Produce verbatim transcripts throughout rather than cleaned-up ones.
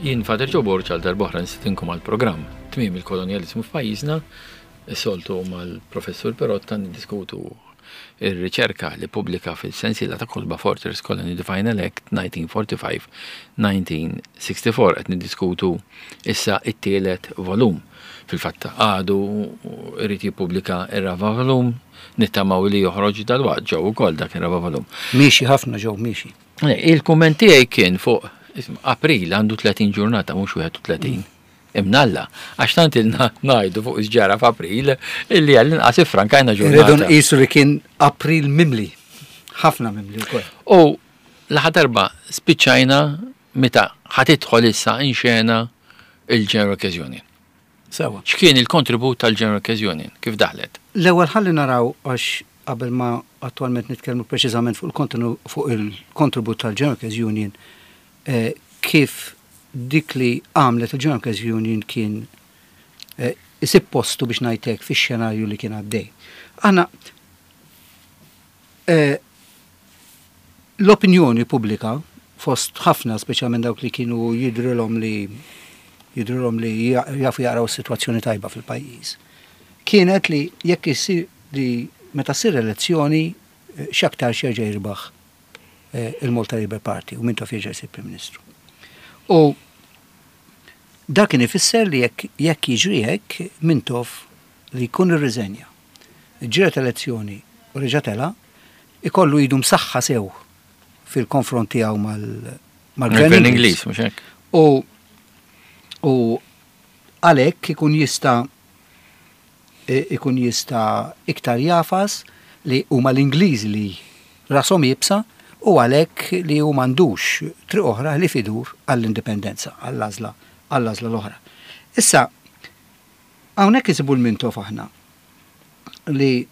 Jien Father Joe Borg, għal darb'oħra nistedinkom għal programm Tmiem il-Kolonjalizmu f'Pajjiżna. Is-soltu mal-Professur Perotta niddiskutu ir-riċerka li pubblika fil-sensiela ta' kotba Fortress Colony: The Final Act elf disa' mija u erbgħa u erbgħin-elf disa' mija u sitta u erbgħin. Qed niddiskutu issa it-tielet volum. Fil-fatt għadu irid jippubblika ir-raba' volum, nittamaw li joħroġ dalwaqt ġew ukoll dak ir-raba' volum. Miexi ħafna ġew, miexi. Il-kumment tiegħi kien fuq isma', April għandu tletin ġurnata, mhux wieħed u tletin. Imnalla, għax tant ilna ngħidu fuq x'ġara f'April illi għall-inqas iffrankajna Irridu ġurnata. nqisu li kien April mimli. Ħafna mimli wkoll. U l-aħħar darba spiċċajna meta ħa tidħol issa in xena il-General Workers Union. Sewa. X'kien il-kontribut tal-General Workers Union? Kif daħlet? L-ewwel ħalli naraw, għax qabel ma attwalment nitkellmu preċiżament fuq il-kontenu- fuq il-kontribut tal-General Workers Union, eh, kif dik li għamlet il-General Workers Union kien eh, isib postu, biex ngħidlek, fix-xenarju li kien għaddej. Aħna eh, l-opinjoni pubblika fost ħafna, speċjalment dawk li kienu jidrilhom li jidrilhom li jafu jaqraw is-sitwazzjoni tajba fil-pajjiż, kienet li jekk isir li meta ssir elezzjoni, eh, x'aktar jerġa' jirbaħ eh, il-Malta Labour Party u Mintoff jerġa' jsir Prim Ministru. U dak kien ifisser li jekk jekk jiġri hekk, Mintoff li jkun irriżenja, ġiet elezzjoni u reġa' tela', ikollu idu msaħħa sew fil-konfront tiegħu mal- mal-Gvern Gvern Ingliż. Ingliż, mhux hekk? U u għalhekk ikun jista' i- ikun jista' iktar jagħfas li huma l-Ingliżi li rashom iebsa u għalhekk li hu m'għandux triq oħra li fidur għall-indipendenza, għall-għażla għall-għażla l-oħra. Issa, hawnhekk isibu l-Mintoff aħna li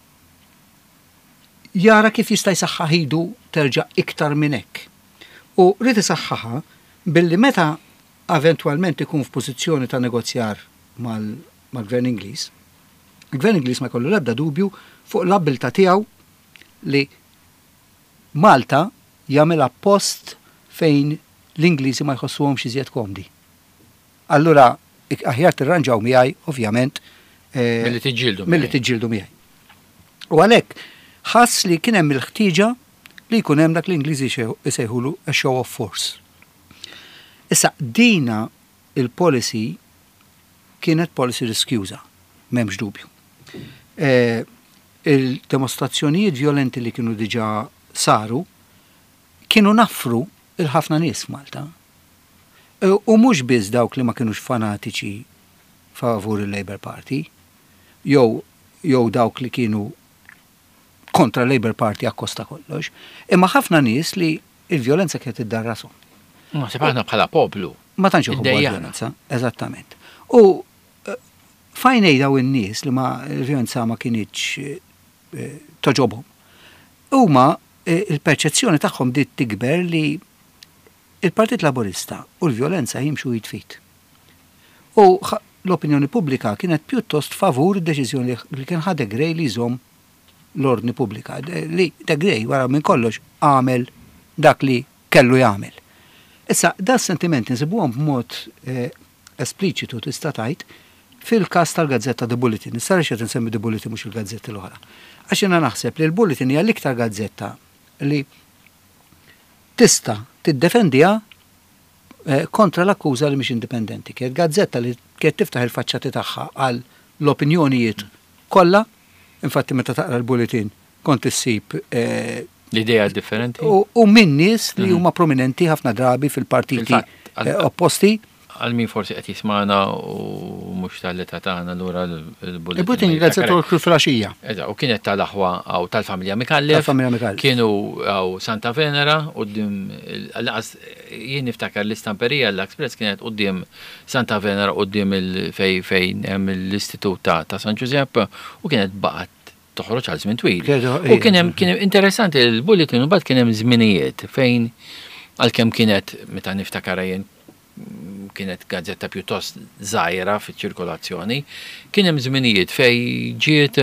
jara kif jista' jsaħħaħ idu terġa' iktar minn hekk. U rrid isaħħaħha billi meta eventwalment ikun f'pożizzjoni ta' negozjar mal- mal-Gvern Ingliż, il-Gvern Ingliż ma jkollu l-ebda dubju fuq l-abbiltà tiegħu li Malta jagħmilha post fejn l-Ingliżi ma jħossuhomx iżjed komdi. Allura ik- aħjar tirranġaw miegħi, ovvjament, eh, Milli tiġġieldu milli miegħi. tiġġieldu miegħi. U għalhekk ħass li kien hemm il-ħtieġa li jkun hemm dak l-Ingliżi jsejħulu a show of force. Issa, dina il-policy kienet policy riskjuża, m'hemmx dubju. Eh, il-demostrazzjonijiet violenti li kienu diġà saru kienu naffru il-ħafna nies f'Malta. E, U mhux biss dawk li ma kienux fanatiċi favur il-Labour Party, jew jew dawk li kienu kontra Labour Party akkosta kollox, imma ħafna nies li il-violenza kienet iddarrashom. Naħseb aħna bħala poplu. Ma tantx iħobbu Iddejjaqna. l-violenza, eżattament. U eh, f'għajnejn daw in-nies li ma l-violenza ma kinitx eh, togħġobhom. Huma eh, il-perċezzjoni tagħhom bdiet tikber li il-Partit Laburista u l-violenza jimxu id f'id. U ħa- l-opinjoni pubblika kienet pjuttost favur id-deċiżjoni li kien ħa De Grey li jżomm l-ordni pubblika. De- Li De Grey wara minn kollox għamel dak li kellu jagħmel. Issa, da sentiment nsibuhom b'mod eh, espliċitu, tista' tgħid, fil-każ tal-gazzetta The Bulletin. Issa għaliex qed insemmi The Bulletin, mhux il-gazzetti l-oħra? Għax jiena naħseb li l-Bulletin hija l-iktar gazzetta li tista' tiddefendiha eh, kontra l-akkuża li mhix indipendenti. Kienet gazzetta li kienet tiftaħ il-faċċati tagħha għal l-opinjonijiet kollha. Infatti, meta taqra l-Bulletin kont issib eh, L-idea differenti. u, u minn nies li huma prominenti ħafna drabi fil-partiti Fil-fatt, għal- eh, opposti. Għal min forsi qed jismana u mhux tal-età tagħna, lura l-Bulletin. Il-Bulletin gazzetta kull filgħaxija. Eżatt, u kienet tal-aħwa għaw tal-familja Micallef. Tal-familja Micallef. Kienu għaw Santa Venera, quddiem, għal jien niftakar l-istamperija l-Express kienet quddiem Santa Venera, quddiem il-fej fejn hemm l-Istitut ta' ta' San Giuseppe, u kienet baqgħet toħroġ għal żmien twil. Kienet- U kien hemm kien hemm interessanti il-Bulletin, u mbagħad kien hemm żminijiet fejn għalkemm kienet, meta niftakar jien, kienet gazzetta pjuttost żgħira fiċ-ċirkolazzjoni, kien hemm żminijiet fej ġiet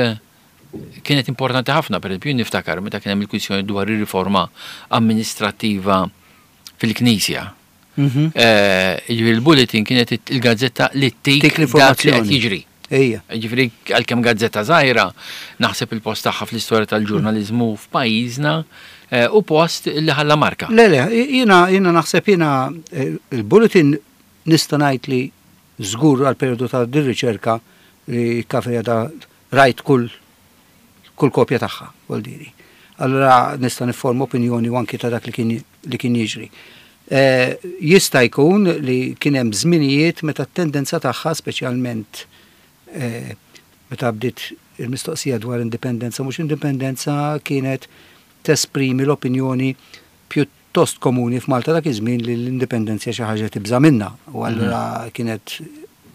kienet importanti ħafna. Per esempio, niftakar meta kien hemm il-kwistjoni dwar ir-riforma amministrattiva fil-Knisja. Mhm. Eh, Ġifieri il-Bulletin kienet il-gazzetta li tik Tik dak li qed l-informazzjoni. jiġri. Ejja. Ġifieri għalkemm gazzetta żgħira, naħseb il-post tagħha fl-istorja tal-ġurnaliżmu f'pajjiżna eh, u post li ħalla marka. Le, le, jiena, jiena naħseb jiena eh, il-Bulletin nista' ngħid li żgur għal periodu ta' din riċerka li kafeja da rajt kull kull kopja tagħha, vuol diri. Allora nista' nifforma opinjoni u anki ta' dak li kien li kien jiġri. Eh, jista' jkun li kien hemm żminijiet meta t-tendenza tagħha speċjalment eh, meta bdiet il-mistoqsija dwar indipendenza mhux indipendenza kienet tesprimi l-opinjoni pjuttost komuni f'Malta dak iż-żmien li l-indipendenza xi ħaġa tibża' minnha u allura kienet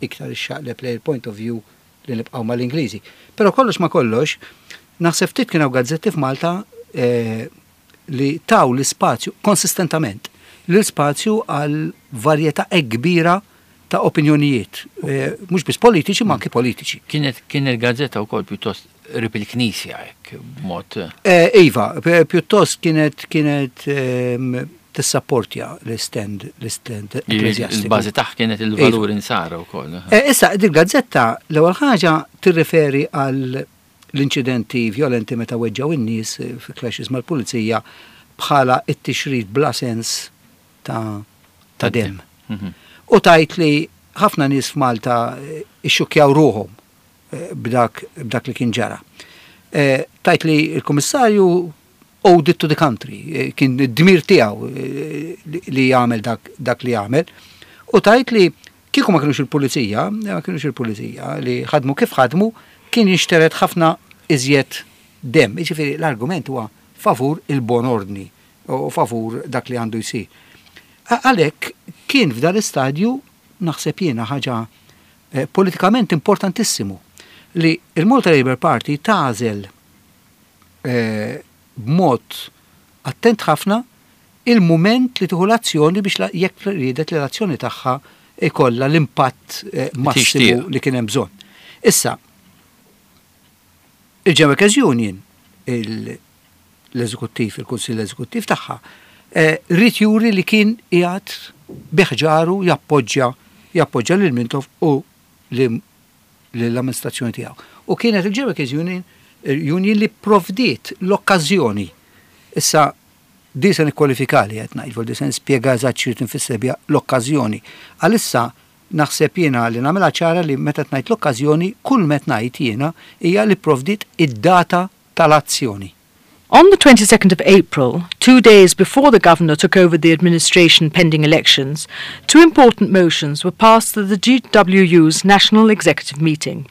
iktar ixxaqleb lejn il-point of view li nibqgħu mal-Ingliżi. Però kollox ma kollox, naħseb ftit kien hawn gazzetti f'Malta eh, li taw l-ispazju konsistentament l-ispazju għal varjetà hekk kbira ta' opinjonijiet, eh, mhux biss politiċi ma anki politiċi. Kienet kienet gazzetta wkoll pjuttost qrib il-Knisja hekk b'mod Eh, Iva, p- pjuttost kienet kienet ehm, tissapportja l-stand l-stand ekkleżjastiku. il-bażi tagħha kienet il-valur insara wkoll. Eh, Issa, din gazzetta l-ewwel ħaġa tirriferi għal l-inċidenti violenti meta weġġaw in-nies eh, fi clashes mal-pulizija bħala it-tixrid bla sens ta' ta' dem. Mhm. U tgħid li ħafna nies f'Malta eh, ixxukkjaw ruħhom eh, b'dak b'dak li kien ġara. Eh, Tgħid li il-Kummissarju owed it to the country, eh, kien id-dmir tiegħu eh, li- li jagħmel dak, dak li jagħmel. U tgħid li kieku ma kienux il-pulizija, ma kienux il-pulizija li ħadmu kif ħadmu, kien jinxtered ħafna iżjed dem. Jiġifieri l-argument huwa favur il-bon ordni u favur dak li għandu jsir. A- Għalhekk kien f'dan l-istadju naħseb jiena ħaġa eh, politikament importantissimu li il-Malta Labour Party tagħżel eh, b'mod attent ħafna il-moment li tieħu l-azzjoni biex la- jekk riedet li l-azzjoni tagħha ikollha l-impatt eh, massimu Tixtieq. li kien hemm bżonn. Issa, il-General Workers Union, il- l-eżekuttiv, il-Kunsill Eżekuttiv tagħha, eh, ried juri li kien qiegħed bi ħġaru jappoġġja jappoġġja lil Mintoff u l-amministrazzjoni tiegħu. U kienet il-General Workers Union, Union li provdiet l-okkażjoni. Issa, di se nikkwalifika li qed ngħid, di se nispjega eżatt xi tinfisser biha l-okkażjoni. Għalissa naħseb jiena li nagħmilha ċara li meta ngħid l-okkażjoni, kull met ngħid jiena hija li provdiet id-data tal-azzjoni. On the twenty-second of April, two days before the governor took over the administration pending elections, two important motions were passed at the G W U's National Executive Meeting.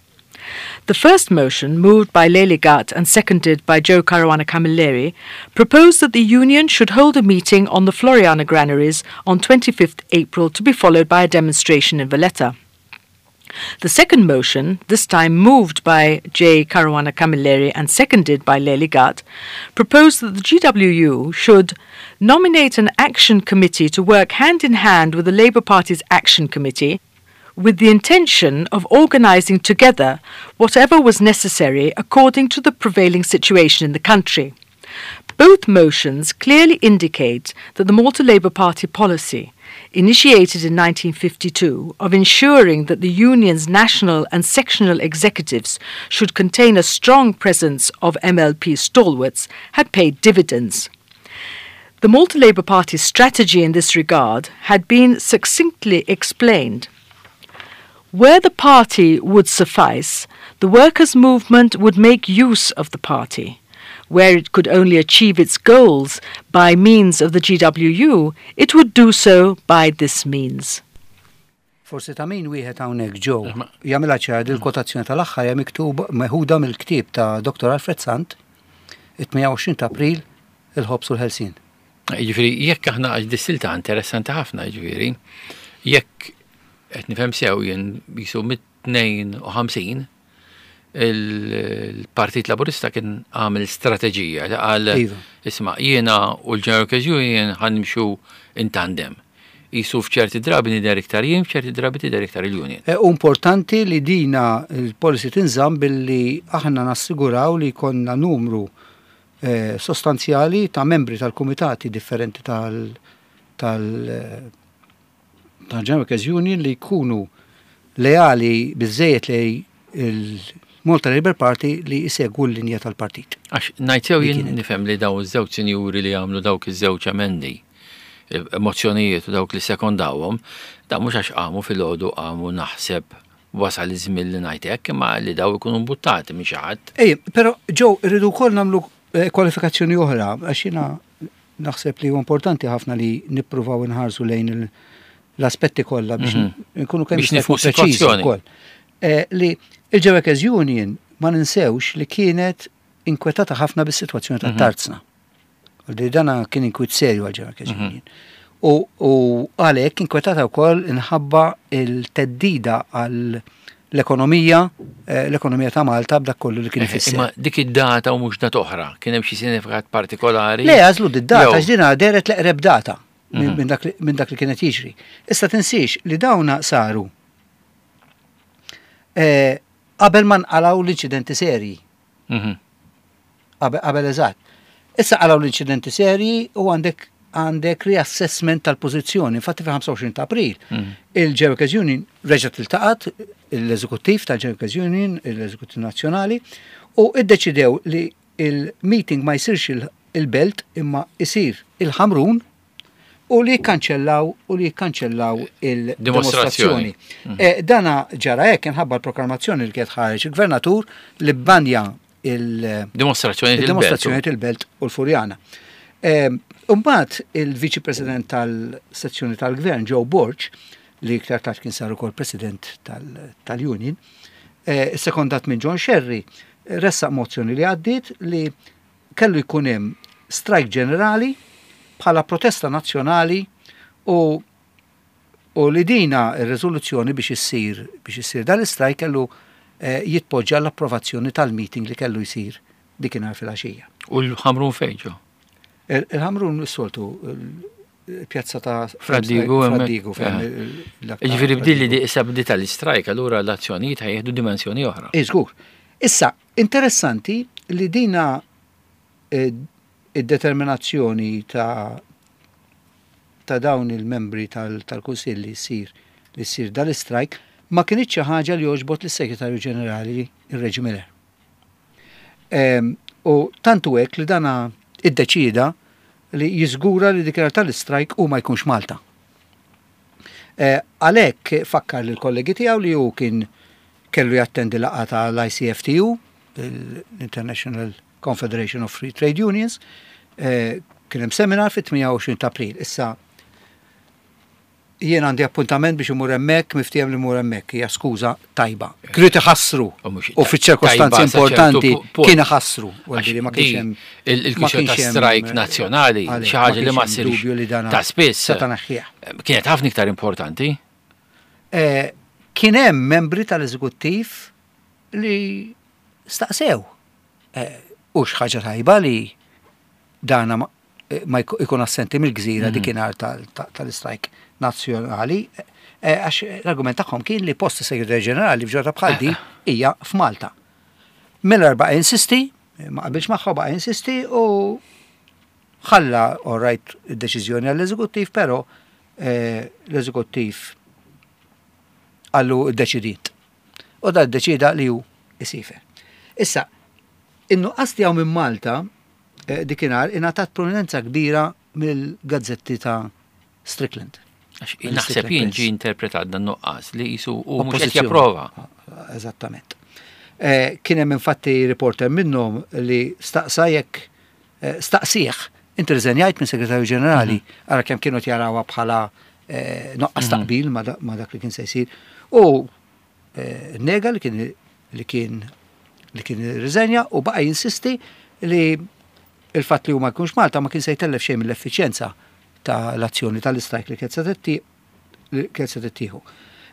The first motion, moved by Leli Gatt and seconded by Joe Caruana Camilleri, proposed that the union should hold a meeting on the Floriana granaries on twenty-fifth April to be followed by a demonstration in Valletta. The second motion, this time moved by J. Caruana Camilleri and seconded by Leli Gatt, proposed that the G W U should nominate an action committee to work hand in hand with the Labour Party's Action Committee with the intention of organising together whatever was necessary according to the prevailing situation in the country. Both motions clearly indicate that the Malta Labour Party policy, initiated in nineteen fifty-two, of ensuring that the union's national and sectional executives should contain a strong presence of M L P stalwarts, had paid dividends. The Malta Labour Party's strategy in this regard had been succinctly explained. Where the party would suffice, the workers' movement would make use of the party. Where it could only achieve its goals by means of the G W U, it would do so by this means. Forsi ta' min wieħed hawnhekk ġew jagħmilha ċara il-kwotazzjoni tal-aħħar hija miktub meħuda mill-ktieb ta' Doktor Alfred Sant, it-tmienja u għoxrin ta' April, il-ħobż u l-ħelsien. Ġifieri, jekk aħna għax dis-silta interessanti ħafna, ġifieri, jekk qed nifhem sew jien jisu mit-tnejn u ħamsin il-Partit Laburista kien għamel strateġija li qal Iva. isma' jiena u l-General Workers Union ħa nimxu in tandem. Jisu f'ċerti drabi nidher iktar jien, f'ċerti drabi tidher iktar il-union. E, u importanti li dina il-policy tinżamm billi aħna nassiguraw li konna numru eh, sostanzjali ta' membri tal-kumitati differenti tal- tal- eh, tal-General Workers Union li jkunu leali biżejjed lejn il-Malta Labour Party li jsegwu l-linja tal-partit. Għax ngħid Li jien kienet. nifhem li daw iż-żewġ sinjuri li għamlu dawk iż-żewġ emendi, mozzjonijiet u dawk li sekondawhom, da mhux għax qamu filgħodu qamu naħseb wasal iż-żmien li ngħid hekk, imma li daw ikunu mbuttati minn xi ħadd. Ej, però ġew irridu wkoll nagħmlu eh, kwalifikazzjoni oħra, għax jiena naħseb li huwa importanti ħafna li nippruvaw inħarsu lejn il- l-aspetti kollha biex Mhm. nkunu kemm Biex jista' nifhmu jkun preċiżi s-sitwazzjoni. wkoll. Eh, Li il-Workers Union ma ninsewx li kienet inkwetata ħafna bis-sitwazzjoni tat-tarzna. Li dana kien inkwiet serju għal Workers Mhm. Union. U, u għalhekk inkwetata wkoll inħabba il-theddida għal l-ekonomija, eh, l-ekonomija ta' Malta b'dak kollu li kien ifisser. Imma dik id-data u mhux data oħra, kien hemm xi sinifikat partikolari. Le, għażlu d-data, Jew- għax dina dehret l-eqreb data minn Mhm. min dak li- minn dak li kienet jiġri. Issa tinsiex li dawna saru eh, qabel ma nqalaw l-inċidenti serji, Mhm. qabel qabel eżatt. Issa qalaw l-inċidenti serji u għandek għandek reassessment tal-pożizzjoni. Infatti fil-ħamsa u għoxrin ta' April, Mhm. il-Workers Union reġgħet iltaqat, l-eżekuttiv tal-Workers Union, l-eżekuttiv nazzjonali, u iddeċidew li il-meeting ma jsirx il- il-Belt imma isir il-Ħamrun u li jikkanċellaw u li jikkanċellaw il-dimostrazzjoni. Eh, Dana ġara hekk inħabba l-proklamazzjoni li kienet ħareġ il-gvernatur li bbanja il- Dimostrazzjoni il-dimostrazzjoni il-Belt u l-Furjana. Imbagħad il-Viċi President tal-sezzjoni tal-Gvern, Joe Borg, li iktar tard kien sar ukoll President tal- tal-Union, eh, sekondat minn John Scerri, ressaq mozzjoni li għaddiet li kellu jkun hemm strike ġenerali bħala protesta nazzjonali u u li dina ir-riżoluzzjoni biex issir biex issir dal-istrike kellu eh, jitpoġġa l-approvazzjoni tal-meeting li kellu jsir dikinhar fil-għaxija. U l-Ħamrun fejn ġo? Il- Il-Ħamrun s-soltu il-pjazza ta' Fra Diegu hemmhekk. Fra Diegu fejn Eh. il- l-aktar Ġifieri Fra bdilli Diegu. di issa bdiet tal-istrajk, allura l-azzjonijiet ħajjeħdu dimensjoni oħra. Iżgur. Issa, interessanti li dina eh, id-determinazzjoni ta' ta' dawn il-membri tal- tal-Kunsill li jsir li jsir dal-istrajk ma kienx xi ħaġa li għoġbot lis-Segretarju Ġenerali ir-Reggie Miller. Em, U tantu hekk li dana iddeċida li jiżgura li dik tal-istrajk u ma jkunx Malta. Eh, Għalhekk fakkar lil kollegi tiegħu li hu kien kellu jattendi laqgħa tal-I C F T U, l-International Confederation of Free Trade Unions, eh, kien hemm seminar fit-tmienja u għoxrin ta' April. Issa jien għandi appuntament biex imur hemmhekk, miftiehem li mur hemmhekk, hija skuża tajba. Kienu iħassru U mhux u fiċ-ċirkostanzi tajba sa ċertu importanti pu- punt. kien iħassru. Għax Għalli ma di kienx hemm il- Il-kwistjoni ma ta' kienx hemm, strajk eh, nazzjonali, għalhekk, xi ħaġa li ma kienx hemm dubju li dana ssirx ta' spiss. seta' naħħieha. Kienet ħafna iktar importanti. Eh, Kien hemm membri tal-eżekuttiv li staqsew. Eh, U x'ħaġa tajba li dana ma eh, ma jku- jkun assenti mill-gżira dikinhar tal-istrajk nazzjonali, eh, għax l-argument tagħhom kien li post segretarju ġenerali f'ġurnata bħal di hija f'Malta. Miller baqa' insisti, ma qabilx magħha, baqa' insisti u ħalla all right id-deċiżjoni għall-eżekuttiv, però eh, l-eżekuttiv qallu ddeċidiet. U da ddeċida li hu isiefer. Issa, in-nuqqas tiegħu minn Malta eh, dikinhar ingħatat prominenza kbira mill-gazzetti ta' Strickland. Għax Mill naħseb Strickland jien Press. ġi interpretat dan nuqqas li jisu u mhux qed Oppożizzjoni. japprova. Eżattament. Eh, Kien hemm infatti reporter minnhom li staqsa jekk eh, staqsih inti rriżenjajt minn segretarju ġenerali, ara kemm kienu jarawha bħala eh, nuqqas taqbil ma da- ma dak li kien se jsir. U eh, nega li kien li kien li kien riżenja u baqa' jinsisti li il-fatt li hu ma jkunx Malta ma kien se jtellef xejn mill-effiċjenza ta' l-azzjoni tal-istrajk li kienet se titti- li kienet se tittieħu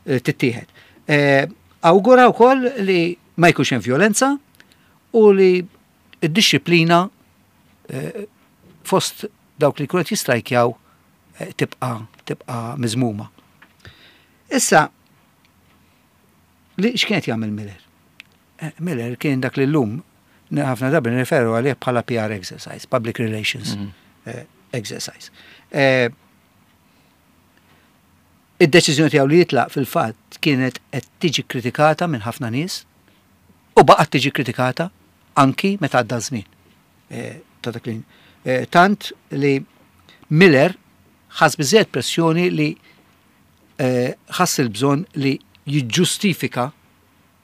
eh, tittieħed. Eh, Awgura wkoll li ma jkunx hemm violenza u li id-disciplina eh, fost dawk li kunet jistrajkjaw eh, tibqa tibqa miżmuma. Issa, li x'kienet jagħmel Miller? Eh, Miller kien dak li llum ħafna drabi nirreferu għalih bħala P R exercise, Public Relations Mhm. eh, exercise. Eh, Id-deċiżjoni tiegħu li jitlaq fil-fatt kienet qed tiġi kritikata minn ħafna nies u baqgħet tiġi kritikata anki meta għadda żmien. Eh, ta' dak li eh, tant li Miller ħass biżejjed pressjoni li eh, ħass il-bżonn li jiġġustifika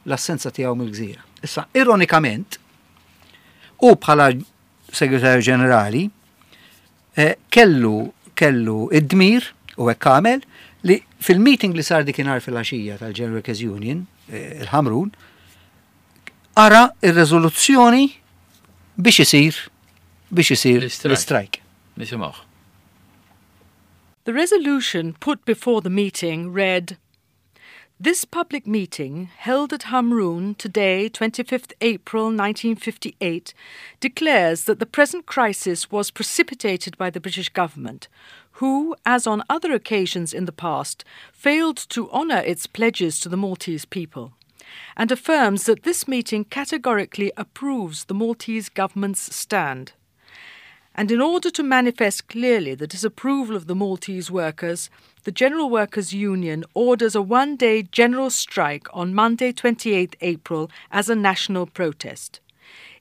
l-assenza tiegħu mill-gżira. Issa, ironikament, u bħala segretarju ġenerali, eh, kellu kellu id-dmir u hekk għamel li fil-meeting li sar dikinhar fil-għaxija tal-General Workers Union, eh, il-Ħamrun, qara ir-rezoluzzjoni biex isir biex isir L-istrajk. l-strike. Nisimgħuh. The resolution put before the meeting read This public meeting, held at Hamrun today, twenty-fifth April nineteen fifty-eight, declares that the present crisis was precipitated by the British government, who, as on other occasions in the past, failed to honour its pledges to the Maltese people, and affirms that this meeting categorically approves the Maltese government's stand. And in order to manifest clearly the disapproval of the Maltese workers, the General Workers' Union orders a one day general strike on Monday, twenty-eighth April, as a national protest.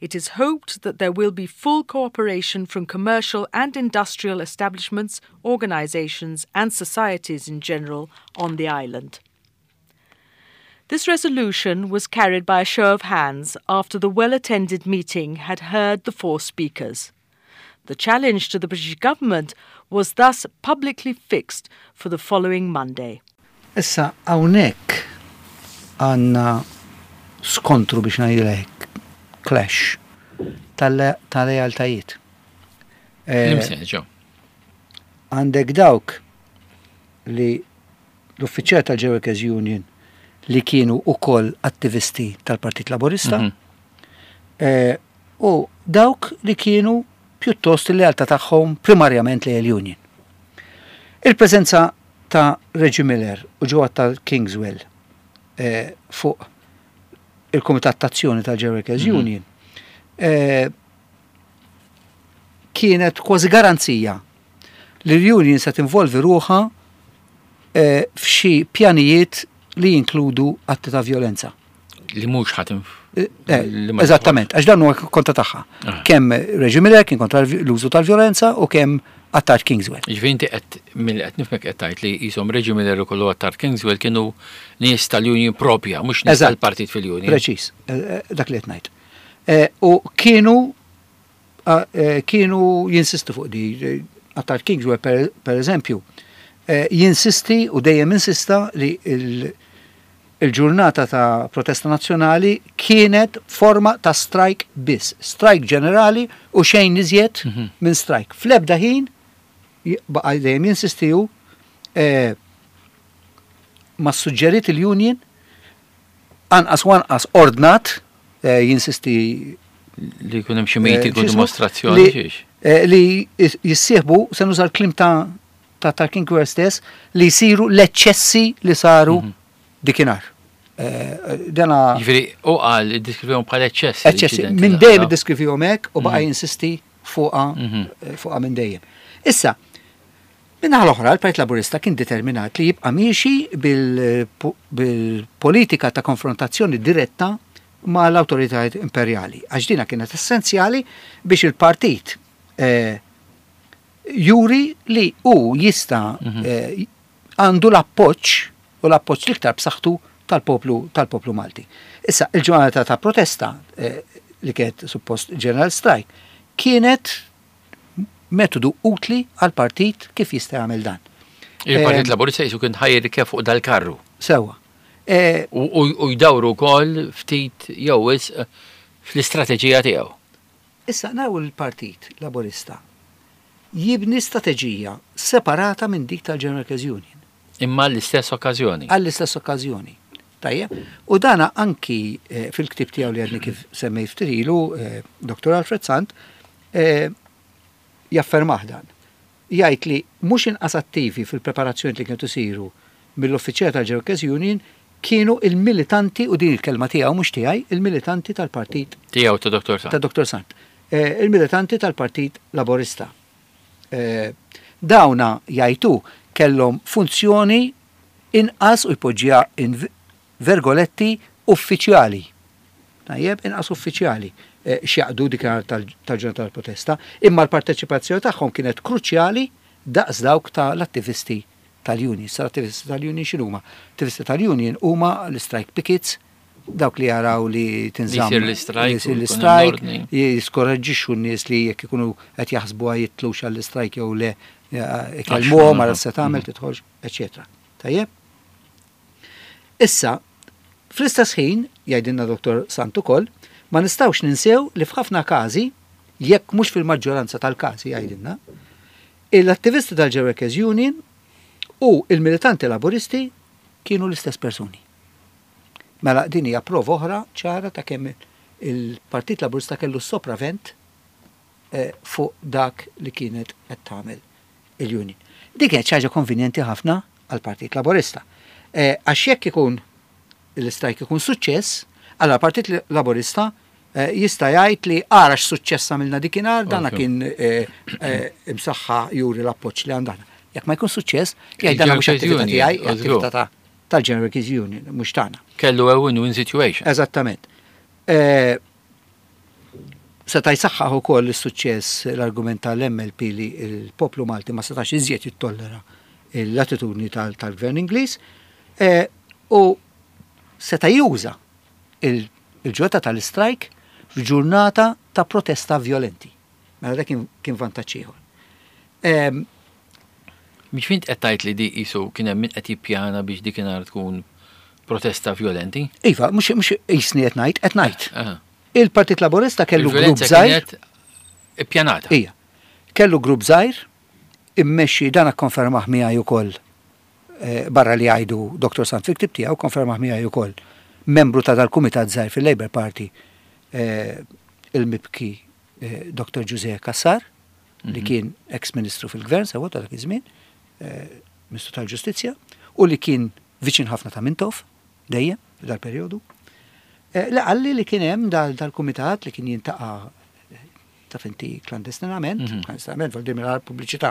It is hoped that there will be full cooperation from commercial and industrial establishments, organisations, and societies in general on the island. This resolution was carried by a show of hands after the well attended meeting had heard the four speakers. The challenge to the British government was thus publicly fixed for the following Monday. Issa, hawnhekk għandna skontru, biex ngħidlek, clash tal-lealtajiet. Eh, Limsen, ġo. Għandek dawk li l-uffiċjal tal-General Workers Union li kienu ukoll attivisti tal-Partit Laburista Mhm. eh, u dawk li kienu pjuttost il-lealtà tagħhom primarjament lejn il-Union. Il-preżenza ta' Reggie Miller u Joe ta' Kingswell eh, fuq il-Komitat Tazzjoni tal-General Workers Mhm. Union eh, kienet kważi garanzija li l-Union se tinvolvi ruħha eh, f'xi pjanijiet li jinkludu atti ta' violenza. Li mhux ħatim. Eh, eh, Li ma Eżattament, għax dan huwa kontra tagħha. Ah. Kemm Reggie Miller kien kontra l-użu tal-violenza u kemm Attard Kingswell. Ġifieri inti qed mill qed nifhmek qed tgħid li jisom Reggie Miller u kollu Attard Kingswell kienu nies tal-Union propja, mhux nies Eżatt. tal-partit fil-Union. Preċis, eh, eh, dak li qed ngħid. Eh, U kienu eh, eh, kienu jinsistu fuq di. eh, Attard Kingswell per, per eżempju, eh, jinsisti u dejjem insista li il- il-ġurnata ta' protesta nazzjonali kienet forma ta' strike biss, strike ġenerali u xejn iżjed Mhm. minn strike. Fl-ebda ħin j- baqa' dejjem jinsistiju eh, ma suġġeriet il-union, anqas wanqas ordnat, eh, jinsisti Li jkun hemm xi meeting u eh, x'ismu? dimostrazzjoni li, xiex. eh, li jis- jissieħbu, se nuża l-kliem ta' ta' ta' King stess, li jsiru l-eċċessi li saru Mhm. dikinhar. Eh, Dana Ġifieri u qal iddiskrivihom bħala eċċessi. eċċessi l-inċidenti minn li dejjem ħalaw. iddiskrivihom hekk u baqa' Mhm. jinsisti fuqha Mhm. eh, fuqha minn dejjem. Issa, minn naħa l-oħra, il-Partit Laburista kien determinat li jibqa' miexi bil- bil-politika ta' konfrontazzjoni diretta ma' l-autoritajiet imperjali. Għax dina kienet essenzjali biex il-partit eh, juri li u jista' Mhm. eh, għandu l-appoġġ u l-appoġġ l-iktar b'saħħtu tal-poplu tal-poplu Malti. Issa, il-ġurnata ta' protesta eh, li kienet suppost general strike kienet metodu utli għal partit kif jista' jagħmel dan. Il-Partit Eh, Laburista jisu kien ħajr kif fuq dal-karru. Sewwa. Eh, U u- u jdawru wkoll ftit jew wisq eh, fl-istrateġija tiegħu. Issa naraw il-Partit Laburista jibni strateġija separata minn dik tal-General Workers Union Imma l-istess okkażjoni. Għall-istess okkażjoni. Tajjeb, u dana anki eh, fil-ktib tiegħu li għadni kif semmej ftit ilu, eh, Doktor Alfred Sant, eh, jaffermah dan. Jgħid li mhux inqas attivi fil-preparazzjoni li kienu isiru mill-uffiċjali tal-General Workers Union kienu il-militanti, u din il-kelma tiegħu mhux tiegħi, il-militanti tal-Partit Tiegħu ta' Doktor Sant. Ta' Doktor Sant. Eh, il-militanti tal-Partit Laborista. Eh, dawna jgħidu kellhom funzjoni inqas, u jpoġġiha in vergoletti, uffiċjali. Tajjeb, inqas uffiċjali x'jaqdu dik tal-ġurnata tal-protesta, imma l-parteċipazzjoni tagħhom kienet kruċjali daqs dawk tal-attivisti tal-union. Sa l-attivisti tal-union x'inhuma? Attivisti tal-union huma l-strike pickets, dawk li jaraw li tinżamm l-istrajk, l-istrajk, jiskoraġġixxu n-nies li jekk ikunu qed jaħsbu jitlux għall-istrajk jew le, ikellmuhom ara se tagħmel, tidħolx, eċċetera. Tajjeb? Issa, fl-istess ħin, jgħidilna Dottor Sant ukoll, ma nistgħux ninsew li f'ħafna każi, jekk mhux fil-maġġoranza tal-każi jgħidilna, l-attivisti tal-General Workers Union u il-militanti laburisti kienu l-istess persuni. Mela din hija prova oħra ċara ta' kemm il-Partit Laburista kellu sopravent fuq dak li kienet qed tagħmel il-union. Dik kienet xi ħaġa konvenjenti ħafna għall-Partit Laburista. Għax jekk ikun l-istrajk ikun suċċess, allora l-Partit Laburista jista' jgħid li ara x'suċċess għamilna dikinhar, dana kien imsaħħa juri l-appoġġ li għandna. Jekk ma jkun suċċess, jgħid dana mhux attività tiegħi, attività tal-General Workers Union, mhux tagħna. Kellu a win-win situation. Eżattament. Seta' jsaħħaħ ukoll is-suċċess l-argument tal-M L P li l-poplu Malti ma setax iżjed jittollera l-attitudni tal-Gvern Ingliż, u seta' juża il-ġurnata tal-istrajk f'ġurnata ta' protesta violenti. Mela dak kien vantaġġ ieħor. Mhix fint qed tgħid li di qisu kien hemm min qed jippjana biex dik inhar tkun protesta violenti? Iva, mhux mhux qisni qed ngħid, qed ngħid. Il-Partit Laburista kellu grupp żgħir. Ippjanata. Ija. Kellu grupp żgħir immexxi, dan akkonfermah miegħi ukoll, barra li jgħidu Dottor Sant fil-ktib tiegħu, konfermah miegħi ukoll membru ta' dal-kumitat żgħir fil-Labour Party, il-mibki Dottor Giuseppe Cassar, li kien ex-ministru fil-gvern sewa ta' dak iż-żmien, Ministru tal-Ġustizzja, u li kien viċin ħafna ta' Mintoff dejjem f'dal-perjodu. Li qalli li kien hemm dal-kumitat li kien jintaqa' taf inti klandestinament, klandestinament vol dir mingħajr pubbliċità.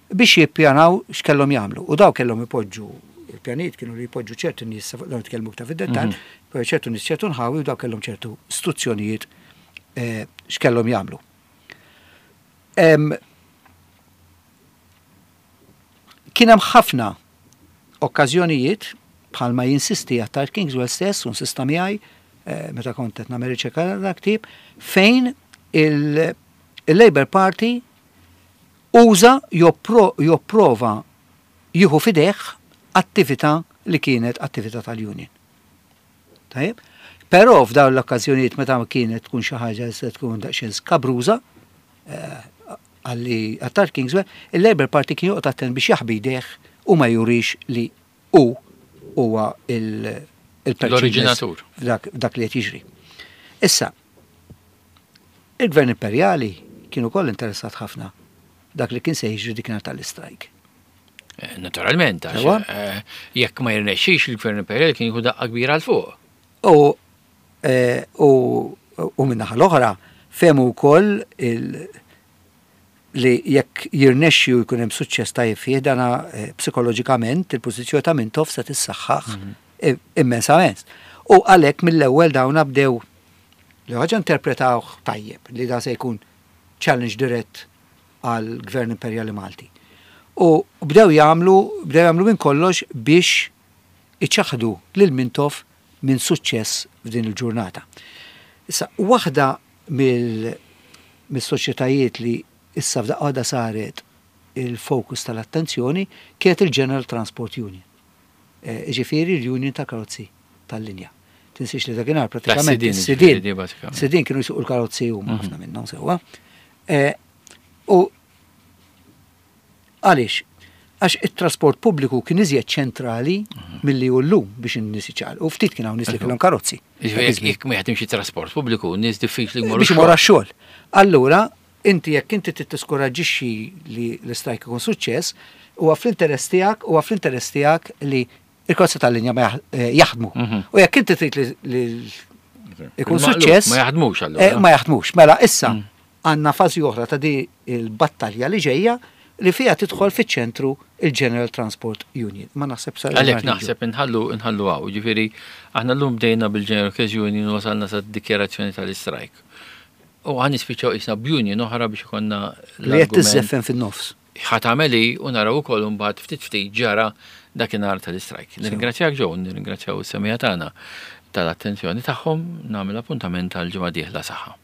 Biex jippjanaw x'kellhom jagħmlu. U daw kellhom ipoġġu il-pjanijiet kienu li jpoġġu ċertu nies, dawn nitkellmu iktar fid-dettall, ċertu nies ċertu nħawi u daw kellhom ċertu istruzzjonijiet x'kellhom jagħmlu. Kien hemm ħafna okkażjonijiet bħalma jinsisti Attard Kingswell stess u insista miegħi meta kont qed nagħmel riċerka ta' ktieb, fejn il-Labour Party uża jopprova jieħu f'idejh attività li kienet attività tal-union. Tajjeb? Però f'dawn l-okkażjonijiet meta kienet tkun xi ħaġa li se tkun daqsxejn skabruża, għalli Attard Kingswell, il-Labour Party kien joqgħod attent biex jaħbi jdejh u ma jurix li hu huwa l-oriġinatur f'dak li qed jiġri. Issa, il-Gvern Imperjali kien ukoll interessat ħafna dak li kien se jiġri dik nhar tal-istrajk. Naturalment, għax jekk ma jirnexxix il-Gvern Imperjali kien jieħu daqqa kbira għal fuq. U min-naħa l-oħra fehmu wkoll li jekk jirnexxi u jkun hemm suċċess tajjeb fih, dana psikoloġikament il-pożizzjoni ta' Mintoff se tissaħħaħ immensament. U għalhekk mill-ewwel dawn bdew li ħaġa interpretawh tajjeb li da se jkun challenge dirett għal Gvern Imperjali Malti. U bdew jagħmlu bdew jagħmlu minn kollox biex iċaħdu lil Mintoff minn suċċess f'din il-ġurnata. Issa, waħda mill-soċjetajiet li issa f'daqqa waħda saret il-fokus tal-attenzjoni kienet il-General Transport Union. Ġifieri l-Union ta' karozzi tal-linja. Tinsiex li dakinhar pratikament is-sidien sidien kienu jsuqu l-karozzi huma ħafna minnhom sewwa. U għaliex? Għax it-trasport pubbliku kien iżjed ċentrali milli hu llum biex in-nies iċaqalqu. U ftit kien hawn nies li kellhom karozzi. Jekk ma jaħdimx it-trasport pubbliku, nies diffiċli jmorru biex imorru għax-xogħol. Allura, inti jekk inti tiskoraġġixxi li l-istrajk ikun suċċess, huwa fl-interess tiegħek, huwa fl-interess tiegħek li il-karozzi tal-linja ma jaħdmu. U jekk inti trid li ikun suċċess, ma jaħdmux allura. Ma jaħdmux. Mela issa għandna fażi oħra ta' di il-battalja li ġejja li fiha tidħol fiċ-ċentru il-General Transport Union. Ma naħseb sa Għalhekk naħseb inħallu inħallu hawn, ġifieri aħna llum bdejna bil-General Workers Union u wasalna sa dikjarazzjoni tal-istrajk. U ħa nispiċċaw issa b'union oħra biex ikollna li qed tiżżeffen fin-nofs. Ħa tagħmel u naraw ukoll mbagħad ftit ftit ġara dakinhar tal-istrajk. Nirringrazzjak Joe, nirringrazzjaw is-semmiegħa tagħna tal-attenzjoni tagħhom, nagħmel appuntament għal ġimgħa dieħla saħħa.